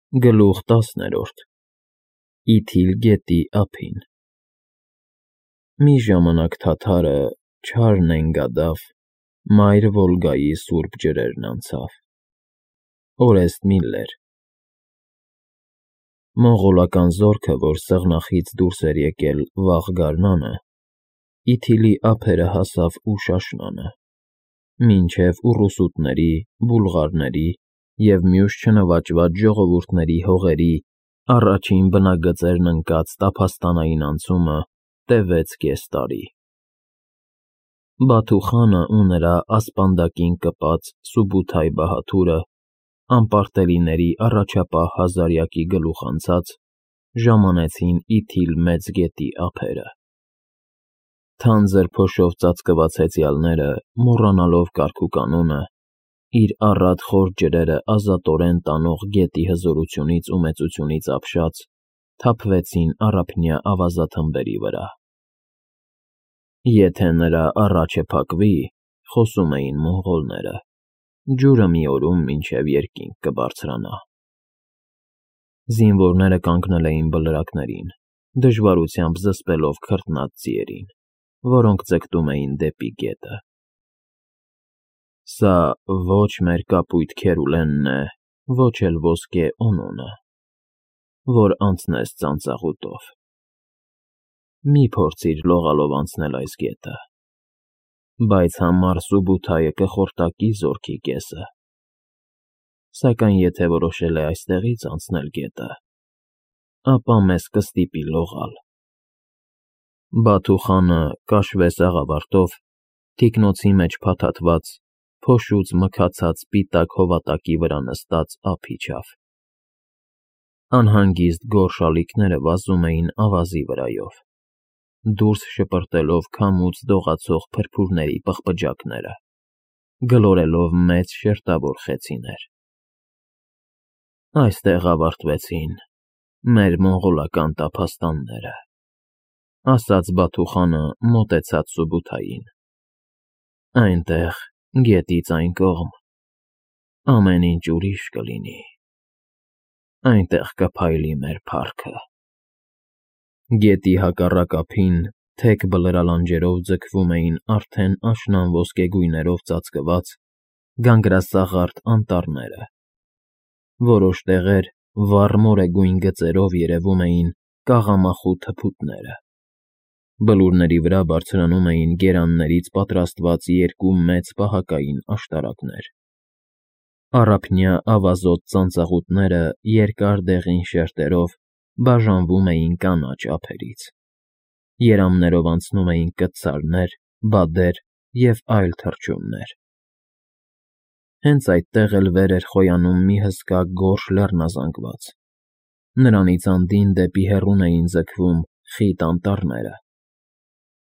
Գլուխ 10 Իթիլ գետի ափին Մի ժամանակ թաթարը, չար նենգադավ, մայր Վոլգայի սուրբ ջրերն անցավ։ Օրեստ Միլլեր Մոնղոլական զորքը, որ սեղնախից դուրս էր եկել վաղ գարնանը, Իթիլի ափերը հասավ Ուշաշնանը, մինչև ուռուսուտների, բուլղարների և մյուս չնվաճված ժողովուրդների հողերի առաջին բնագծերն ընկած տափաստանային անցումը տևեց կես տարի։ Բաթու խանը ու նրա ասպանդակին կպած Սուբութայ բահադուրը, անպարտելիների առաջապահ հազարյակի գլուխ անցած, ժամանեցին Իթիլ մեծ գետի ափերը։ Թանձր փոշով ծածկված հեծյալները, մոռանալով կարգուկանոնը, իր առատ խոր ջրերը ազատորեն տանող գետի հզորությունից ու մեծությունից ապշած, թափվեցին առափնյա ավազաթմբերի վրա։ Եթե նրա առաջը փակվի, խոսում էին մոնղոլները, ջուրը մի օրում մինչև երկինք կբարձրանա։ Զինվորները կանգնել էին բլրակներին, դժվարությամբ զսպելով քրտնած ձիերին, որոնք ձգտում էին դեպի գետը։ Սա ոչ մեր կապույտ Քերուլենն է, ոչ էլ ոսկե Օնոնը, որ անցնես ծանծաղուտով։ Մի փորձիր լողալով անցնել այս գետը, բայց համառ Սուբութայը կխորտակի զորքի կեսը։ Սակայն եթե որոշել է այստեղից անցնել գետը, ապա մեզ կստիպի լողալ։ Բաթու խանը կաշվե սաղավարտով, թիկնոցի մեջ փաթաթված, փոշուց մքացած սպիտակ հովատակի վրա նստած ափ իջավ։ Անհանգիստ գորշ ալիքները վազում էին ավազի վրայով, դուրս շպրտելով քամուց դողացող փրփուրների պղպջակները, գլորելով մեծ շերտավոր խեցիներ։ Այստեղ ավարտվեցին մեր մոնղոլական տափաստանները, ասաց Բաթու խանը մոտեցած Սուբութային։ Այնտեղ, գետից այն կողմ, ամեն ինչ ուրիշ կլինի, այնտեղ կփայլի մեր փառքը։ Գետի հակառակ ափին թեք բլրալանջերով ձգվում էին արդեն աշնան ոսկեգույներով ծածկված գանգրասաղարթ անտառները, որոշ տեղեր վառ մորեգույն գծերով երևում էին կաղամախու թփուտները։ Բլուրների վրա բարձրանում էին գերաններից պատրաստված երկու մեծ պահակային աշտարակներ։ Առափնյա ավազոտ ծանծաղուտները երկար դեղին շերտերով բաժանվում էին կանաչ ափերից։ Երամներով անցնում էին կտցարներ, բադեր և այլ թռչուններ։ Հենց այդտեղ էլ վեր էր խոյանում մի հսկա գորշ լեռնազանգված։ Նրանից անդին դեպի հեռուն էին ձգվում խիտ անտառները։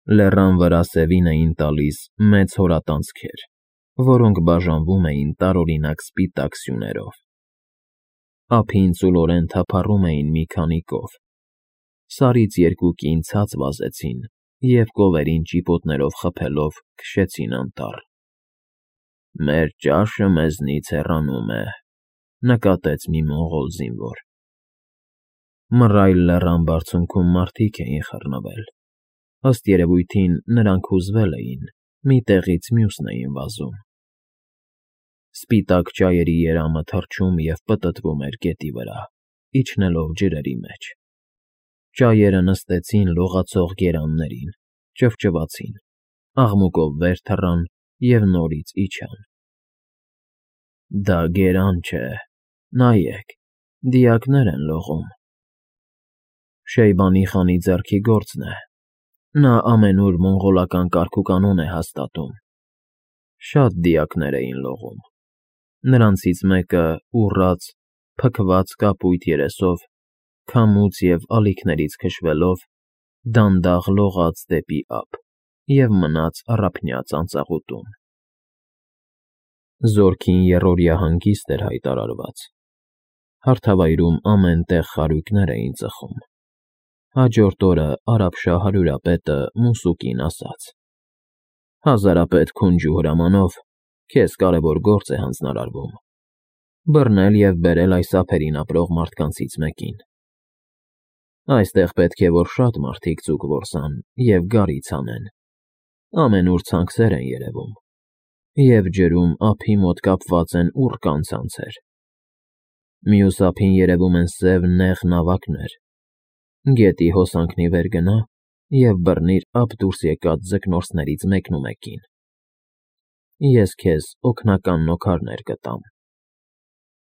Լեռան վրա սևին էին տալիս մեծ հորատանցքեր, որոնք բաժանվում էին տարօրինակ սպիտակ սյուներով։ Ափին ծուլորեն թափառում էին մի քանի կով։ Սարից երկու կին ցած վազեցին և կովերին ճիպոտներով խփելով քշեցին անտառ։ Մեր ճաշը մեզնից հեռանում է, նկատեց մի մոնղոլ զինվոր։ Մռայլ լեռան բարձունքում մարդիկ էին խռնվել։ Ըստ երևույթին նրանք հուզվել էին, մի տեղից մյուսն էին վազում։ Սպիտակ ճայերի երամը թռչում և պտտվում էր գետի վրա, իջնելով ջրերի մեջ։ Ճայերը նստեցին լողացող գերաններին, ճվճվացին, աղմուկով վեր թռան և նորից իջան։ Դա գերան չէ, նայեք, դիակներ են լողում։ Շեյբանի խանի ձեռքի գործն է, նա ամենուր մոնղոլական կարգուկանոն է հաստատում։ Շատ դիակներ էին լողում։ Նրանցից մեկը ուռած, փքված կապույտ երեսով, քամուց և ալիքներից քշվելով, դանդաղ լողաց դեպի ափ և մնաց առափնյա ծանծաղուտում։ Զորքին եռօրյա հանգիստ էր հայտարարված։ Հարթավայրում ամեն տեղ խարույկներ էին ծխում։ Հաջորդ օրը արաբշահ հարյուրապետը Մուսուկին ասաց. Հազարապետ Քունջու հրամանով քեզ կարևոր գործ է հանձնարարվում։ բռնել և բերել այս ափերին ապրող մարդկանցից մեկին։ Այստեղ պետք է որ շատ մարդիկ ձուկ որսան և գարից անեն, ամենուր ցանքսեր են երևում, և ջրում ափի մոտ կապված են ուռկան ցանցեր։ Մյուս ափին երևում են սև նեղ նավակներ։ Գետի հոսանքն ի վեր գնա և բռնիր ափ դուրս եկած ձկնորսներից մեկնումեկին։ Ես քեզ օգնական նոքարներ կտամ։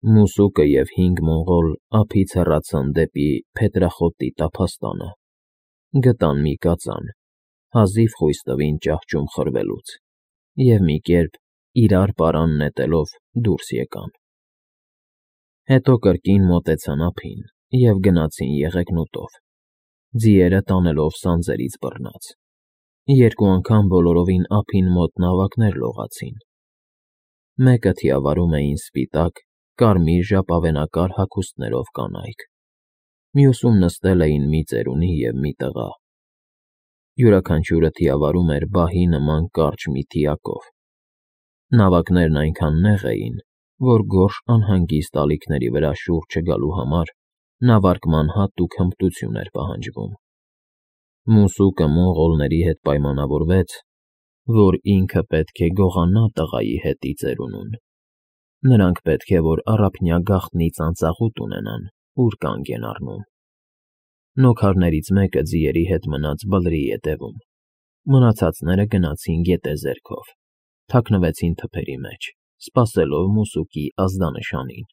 Մուսուկը և 5 մոնղոլ ափից հեռացան դեպի Փետրախոտի տափաստանը, գտան մի կածան, հազիվ խույս տվին ճահճում խրվելուց, և մի կերպ իրար պարան նետելով դուրս եկան։ Հետո կրկին մոտեցան ափին և գնացին եղեգնուտով, ձիերը տանելով սանձերից բռնած։ 2 անգամ բոլորովին ափին մոտ նավակներ լողացին։ Մեկը թիավարում էին սպիտակ, կարմիր ժապավենակար հագուստներով կանայք, մյուսում նստել էին մի ծերունի և մի տղա։ Յուրաքանչյուրը թիավարում էր բահի նման կարճ մի թիակով։ Նավակներն այնքան նեղ էին, որ գորշ անհանգիստ ալիքների վրա շուռ չգալու համար նավարկման հատուկ հմտություն էր պահանջվում։ Մուսուկը մոնղոլների հետ պայմանավորվեց, որ ինքը պետք է գողանա տղայի հետի ծերունուն։ Նրանք պետք է որ առափնյա գաղտնի ծանծաղուտ ունենան, ուր կանգ են առնում։ Նոքարներից մեկը ձիերի հետ մնաց բլրի ետևում, մնացածները գնացին գետեզերքով, թաքնվեցին թփերի մեջ, սպասելով մուսուկի ազդանշանին։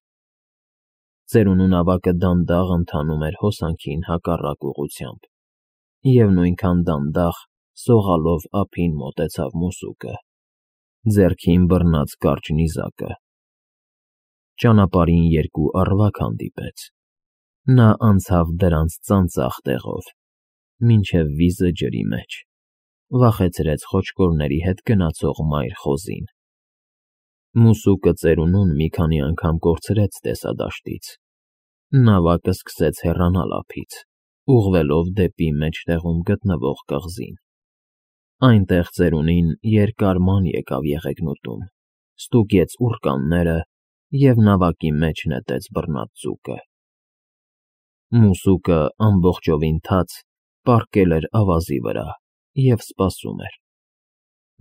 Ծերունու նավակը դանդաղ ընթանում էր հոսանքին հակառակ ուղղությամբ, և նույնքան դանդաղ սողալով ափին մոտեցավ մուսուկը, ձեռքին բռնած կարճ նիզակը։ Ճանապարհին 2 առվակ հանդիպեց։ Նա անցավ դրանց ծանծաղ տեղով, մինչև վիզը ջրի մեջ, վախեցրեց խոչկորների հետ գնացող մայր խոզին։ Մուսուկը ծերունուն մի քանի անգամ կորցրեց տեսադաշտից։ Նավակը սկսեց հեռանալ ափից, ուղղվելով դեպի մեջտեղում գտնվող կղզին։ Այնտեղ ծերունին երկար ման եկավ եղեգնուտում, ստուգեց ուռկանները և նավակի մեջ նետեց բռնած ձուկը։ Մուսուկը ամբողջովին թաց պառկել էր ավազի վրա և սպասում էր։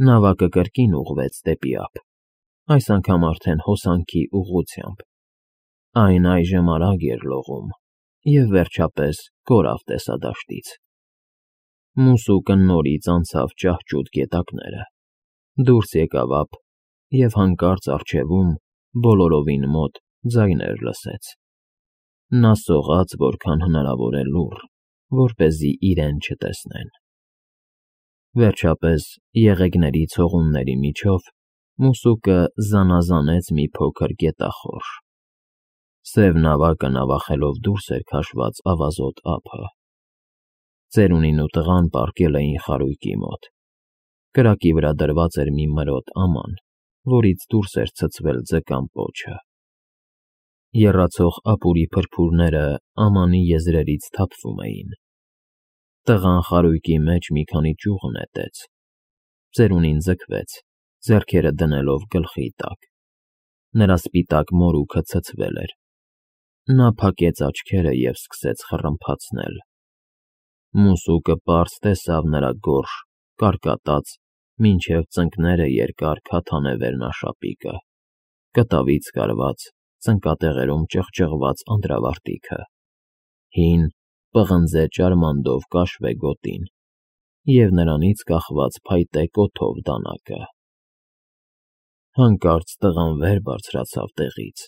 Նավակը կրկին ուղղվեց դեպի ափ, այս անգամ արդեն հոսանքի ուղղությամբ։ Այն այժմ արագ էր լողում և վերջապես կորավ տեսադաշտից։ Մուսուկը նորից անցավ ճահճուտ գետակները, դուրս եկավ ափ և հանկարծ առջևում, բոլորովին մոտ, ձայներ լսեց։ Նա սողաց որքան հնարավոր է լուռ, որպեսզի իրեն չտեսնեն։ Վերջապես, եղեգների ցողունների միջով մուսուկը զանազանեց մի փոքր գետախորշ։ Սև նավակը նավախելով դուրս էր քաշված ավազոտ ափը։ Ծերունին ու տղան պառկել էին խարույկի մոտ։ Կրակի վրա դրված էր մի մրոտ աման, որից դուրս էր ցցվել ձկան պոչը։ Եռացող ապուրի փրփուրները ամանի եզրերից թափվում էին։ Տղան խարույկի մեջ մի քանի ճյուղ նետեց։ Ծերունին ձգվեց, ձեռքերը դնելով գլխի տակ։ Նրա սպիտակ մորուքը ցցվել էր։ Նա փակեց աչքերը և սկսեց խռմփացնել։ Մուսուկը պարզ տեսավ նրա գորշ, կարկատած, մինչև ծնկները երկար քաթանե վերնաշապիկը, կտավից կարված, ծնկատեղերում ճղճղված անդրավարտիքը, հին, պղնձե ճարմանդով կաշվե գոտին և նրանից կախված փայտե կոթով դանակը։ Հանկարծ տղան վեր բարձրացավ տեղից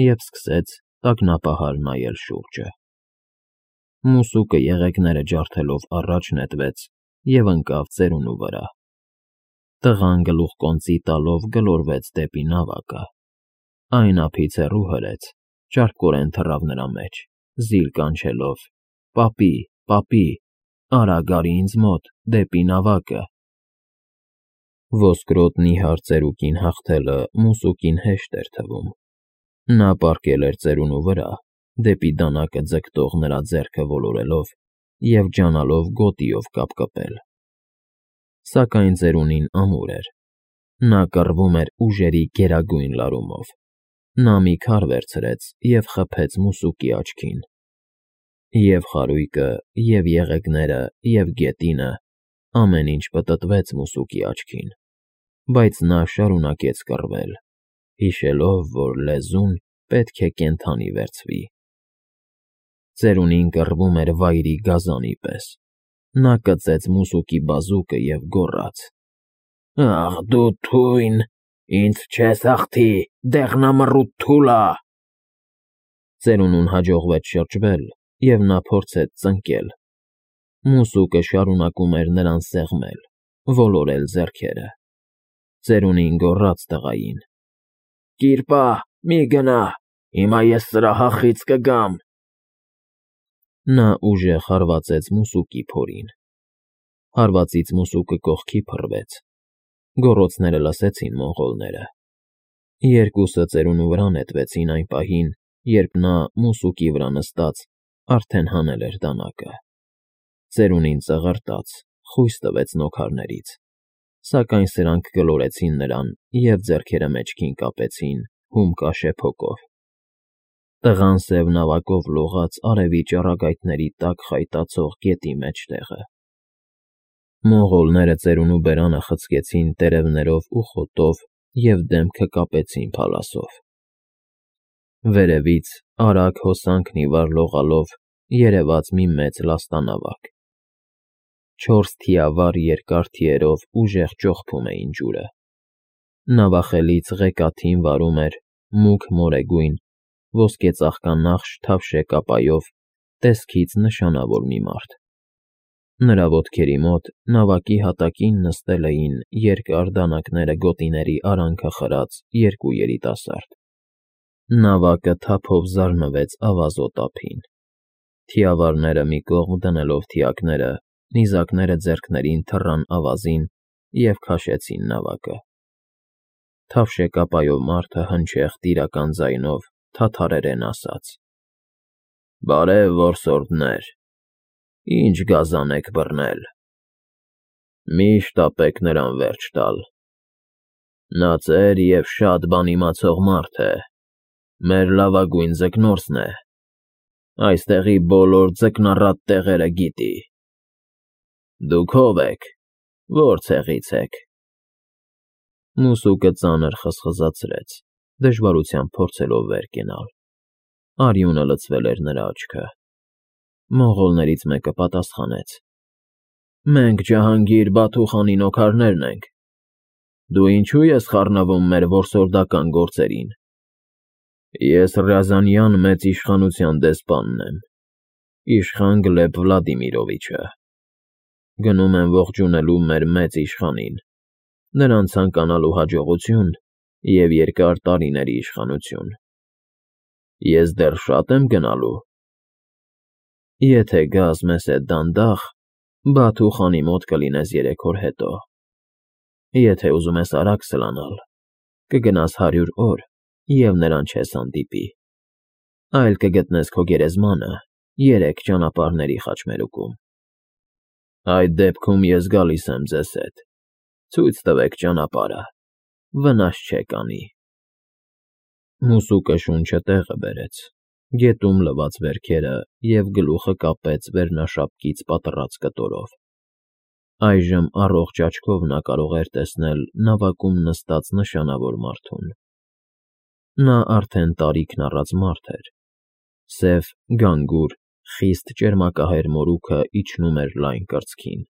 և սկսեց տագնապահար նայել շուրջը։ Մուսուկը եղեգները ջարդելով առաջ նետվեց և ընկավ ծերունու վրա։ Տղան գլուխկոնծի տալով գլորվեց դեպի նավակը։ Այն ափից հեռու հրեց, ճարպկորեն թռավ նրա մեջ, զիլ կանչելով. «Պապի, պապի, արա գարի ինձ մոտ, դեպի նավակը»։ Ոսկրոտ նիհար ծերուկին հաղթելը մուսուկին հեշտ էր թվում։ Նա պառկել էր ծերունու վրա, դեպի դանակը ձգտող նրա ձեռքը ոլորելով և ջանալով գոտիով կապկպել։ Սակայն ծերունին ամուր էր։ Նա կռվում էր ուժերի գերագույն լարումով։ Նա մի քար վերցրեց և խփեց մուսուկի աչքին։ Եվ խարույկը, և եղեգները, և գետինը, ամեն ինչ պտտվեց մուսուկի աչքին, բայց նա շարունակեց կռվել, հիշելով, որ լեզուն պետք է կենդանի վերցվի։ Ծերունին կռվում էր վայրի գազանի պես։ Նա կծեց մուսուկի բազուկը և գոռաց. «Ախ դու թույն, ինձ չես հաղթի, դեղնամռութ թուլա»։ Ծերունուն հաջողվեց շրջվել, և նա փորձեց ծնկել։ Մուսուկը շարունակում էր նրան սեղմել, ոլորել ձեռքերը։ Ծերունին գոռաց տղային. «Կիրպա, մի գնա, հիմա ես սրահախից կգամ»։ Նա ուժեղ հարվածեց մուսուկի փորին։ Հարվածից մուսուկը կողքի փռվեց։ Գոռոցները լսեցին մոնղոլները։ Երկուսը ծերունու վրա նետվեցին այն պահին, երբ նա, մուսուկի վրա նստած, արդեն հանել էր դանակը։ Ծերունին ծղրտաց, խույս տվեց նոքարներից, սակայն սրանք գլորեցին նրան և ձեռքերը մեջքին կապեցին հումկա շեփոկով։ Տղան սև նավակով լողաց արևի ճառագայթների տակ խայտացող գետի մեջտեղը։ Մոնղոլները ծերունու բերանը խցկեցին տերևներով ու խոտով և դեմքը կապեցին փալասով։ Վերևից, արագ հոսանքն ի վար լողալով, երևաց մի մեծ լաստանավակ։ 4 թիավար երկար թիերով ուժեղ ճոխփում էին ջուրը։ Նավախելից ղեկաթին վարում էր մուգ մորեգույն, ոսկեծաղկանախշ թավշե կապայով, տեսքից նշանավոր մի մարդ։ Նրա ոտքերի մոտ, նավակի հատակին նստել էին երկար դանակները գոտիների արանքը խրած 2 երիտասարդ։ Նավակը թափով զարնվեց ավազոտ ափին։ Թիավարները մի կողմ դնելով թիակները, նիզակները ձեռքներին թռան ավազին և քաշեցին նավակը։ Թավշե կապայով մարդը հնչեղ տիրական ձայնով թաթարերեն ասաց. «Բարև, որսորդներ, ի՞նչ գազան եք բռնել։ Մի՛ շտապեք նրան վերջ տալ։ Նա ծեր և շատ բան իմացող մարդ է, մեր լավագույն ձկնորսն է, այստեղի բոլոր ձկնառատ տեղերը գիտի։ Դուք ո՞վ եք, որ ցեղից եք»։ Մուսուկը ծանր խզխզացրեց, դժվարությամբ փորձելով վեր կենալ։ Արյունը լցվել էր նրա աչքը։ Մոնղոլներից մեկը պատասխանեց. «Մենք Ջահանգիր Բաթու խանի նոքարներն ենք։ Դու ինչո՞ւ ես խառնվում մեր որսորդական գործերին։ Ես Ռյազանյան մեծ իշխանության դեսպանն եմ, իշխան Գլեբ Վլադիմիրովիչը։ Գնում եմ ողջունելու մեր մեծ իշխանին, նրան ցանկանալու հաջողություն և երկար տարիների իշխանություն։ Ես դեռ շատ եմ գնալու։ Եթե գաս մեզ հետ դանդաղ, Բաթու խանի մոտ կլինես 3 օր հետո։ Եթե ուզում ես արագ սլանալ, կգնաս 100 օր և նրան չես հանդիպի, այլ կգտնես քո գերեզմանը 3 ճանապարհների խաչմերուկում։ Այդ դեպքում ես գալիս եմ ձեզ հետ, ցույց տվեք ճանապարհը, վնաս չեք անի»։ Մուսուկը շունչը տեղը բերեց, գետում լվաց վերքերը և գլուխը կապեց վերնաշապկից պատռած կտորով։ Այժմ առողջ աչքով նա կարող էր տեսնել նավակում նստած նշանավոր մարդուն։ Նա արդեն տարիքն առած մարդ էր։ Սև, գանգուր, խիստ ճերմակահեր մորուքը իջնում էր լայն կրծքին։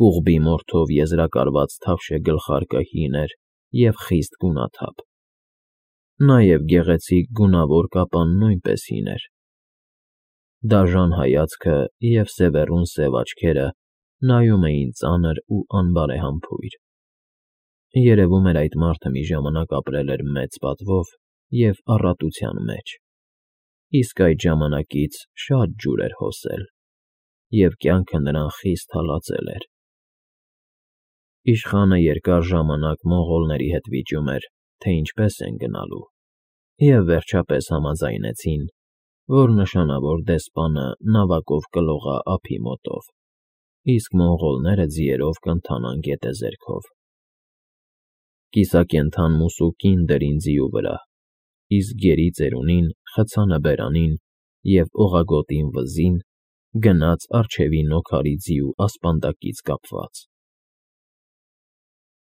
Կուղբի մորթով եզրակարված թավշե գլխարկը հին էր և խիստ գունաթափ։ Նաև գեղեցիկ գունավոր կապան նույնպես հին էր։ Դաժան հայացքը և սևեռուն սև աչքերը նայում էին ծանր ու անբարեհամբույր։ Երևում էր այդ մարդը մի ժամանակ ապրել էր մեծ պատվով և առատության մեջ, իսկ այդ ժամանակից շատ ջուր էր հոսել, և կյանքը նրան խիստ հալածել էր։ Իշխանը երկար ժամանակ մոնղոլների հետ վիճում էր, թե ինչպես են գնալու, և վերջապես համաձայնեցին, որ նշանավոր դեսպանը նավակով կլողա ափի մոտով, իսկ մոնղոլները ձիերով կընթանան գետեզերքով։ Կիսակենդան մուսուկին դրին ձիու վրա, իսկ գերի ծերունին, խցանը բերանին և օղագոտին վզին գնաց առջևի նոքարի ձիու ասպանդակից կապված։